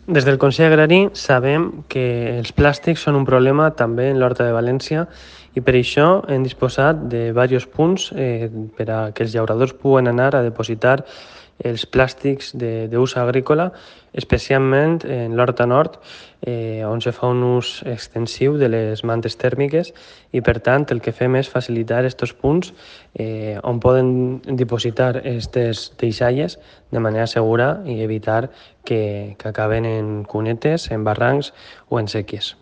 Des del Consell Agrari sabem que els plàstics són un problema també en l'Horta de València i per això hem disposat de diversos punts per a que els llauradors puguen anar a depositar els plàstics d'ús agrícola, especialment en l'Horta Nord, on se fa un ús extensiu de les mantes tèrmiques i, per tant, el que fem és facilitar aquests punts on poden dipositar aquestes deixalles de manera segura i evitar que acaben en cunetes, en barrancs o en sèquies.